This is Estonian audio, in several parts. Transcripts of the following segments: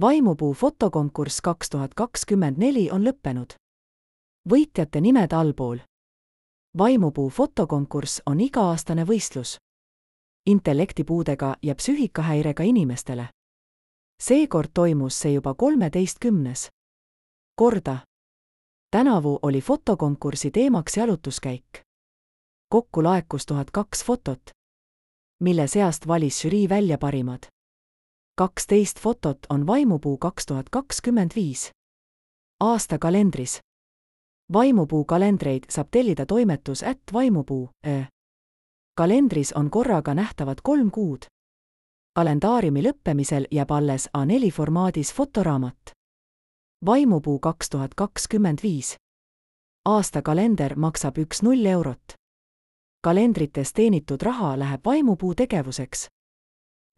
Vaimupuu fotokonkurss 2024 on lõppenud. Võitjate nimed allpool. Vaimupuu fotokonkurss on iga-aastane võistlus intellektipuudega ja psüühikahäirega inimestele. Seekord toimus see juba 13. korda. Tänavu oli fotokonkursi teemaks jalutuskäik. Kokku laekus 1002 fotot, mille seast valis žürii välja parimad. 12 fotot on Vaimupuu 2025 aasta kalendris. Vaimupuu kalendreid saab tellida toimetus @vaimupuu. Kalendris on korraga nähtavad 3 kuud. Kalendaariumi lõppemisel jääb alles A4 formaadis fotoraamat. Vaimupuu 2025 aasta kalender maksab 10 eurot. Kalendrites teenitud raha läheb Vaimupuu tegevuseks.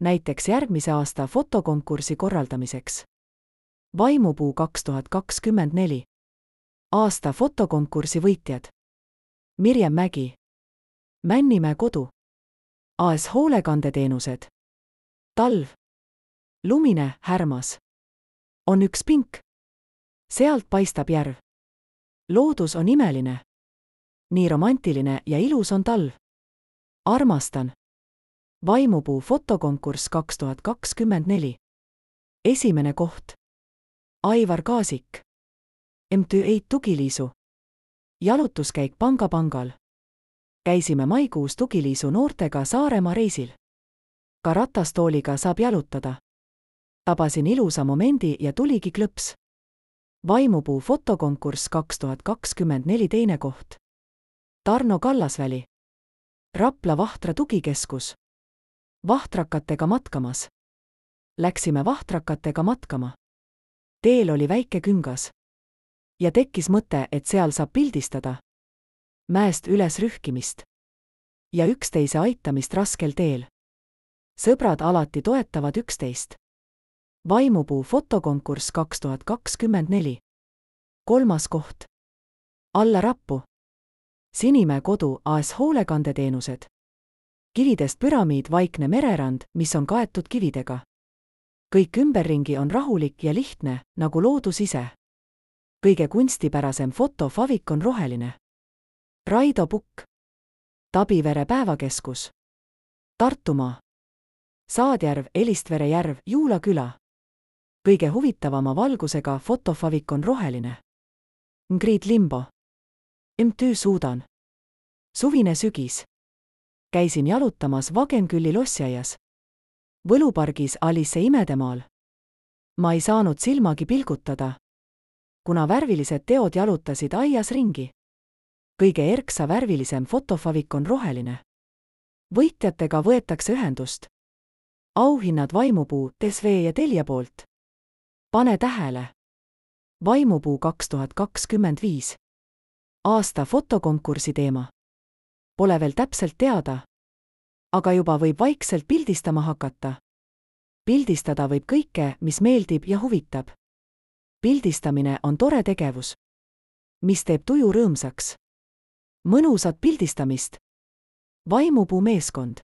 Näiteks järgmise aasta fotokonkursi korraldamiseks. Vaimupuu 2024 aasta fotokonkursi võitjad. Mirjam Mägi, Männimäe kodu, AS Hoolekandeteenused, talv, lumine, härmas. On üks pink. Sealt paistab järv. Loodus on imeline. Nii romantiline ja ilus on talv. Armastan. Vaimupuu fotokonkurss 2024. Esimene koht. Aivar Kaasik. MTÜ Eit Tugiliisu. Jalutuskäik Pangal. Käisime maikuus Tugiliisu noortega Saaremaa reisil. Ka ratastooliga saab jalutada. Tabasin ilusa momendi ja tuligi klõps. Vaimupuu fotokonkurss 2024 teine koht. Tarno Kallasväli. Rapla Vahtra tugikeskus. Vahtrakatega matkamas. Läksime vahtrakatega matkama. Teel oli väike küngas. Ja tekkis mõte, et seal saab pildistada. Mäest üles rühkimist. Ja üksteise aitamist raskel teel. Sõbrad alati toetavad üksteist. Vaimupuu fotokonkurss 2024. Kolmas koht. Alla rappu. Sinimäe kodu, AS Hoolekandeteenused. Kividest püramiid vaikne mererand, mis on kaetud kividega. Kõik ümberringi on rahulik ja lihtne, nagu loodus ise. Kõige kunstipärasem fotofavik on roheline. Raido Pukk. Tabivere päevakeskus. Tartumaa. Saadjärv, Elistvere järv, Juula küla. Kõige huvitavama valgusega fotofavik on roheline. Ngrid Limbo. MTÜ Suudan. Suvine sügis. Käisin jalutamas Vagenkülli lossiaias. Võlupargis Alice Imedemaal. Ma ei saanud silmagi pilgutada, kuna värvilised teod jalutasid aias ringi. Kõige erksa värvilisem fotofavik on roheline. Võitjatega võetakse ühendust. Auhinnad Vaimupuu, TSV ja Telia poolt. Pane tähele. Vaimupuu 2025 aasta fotokonkursi teema. Pole veel täpselt teada, aga juba võib vaikselt pildistama hakata. Pildistada võib kõike, mis meeldib ja huvitab. Pildistamine on tore tegevus, mis teeb tuju rõõmsaks. Mõnusat pildistamist. Vaimupuu meeskond.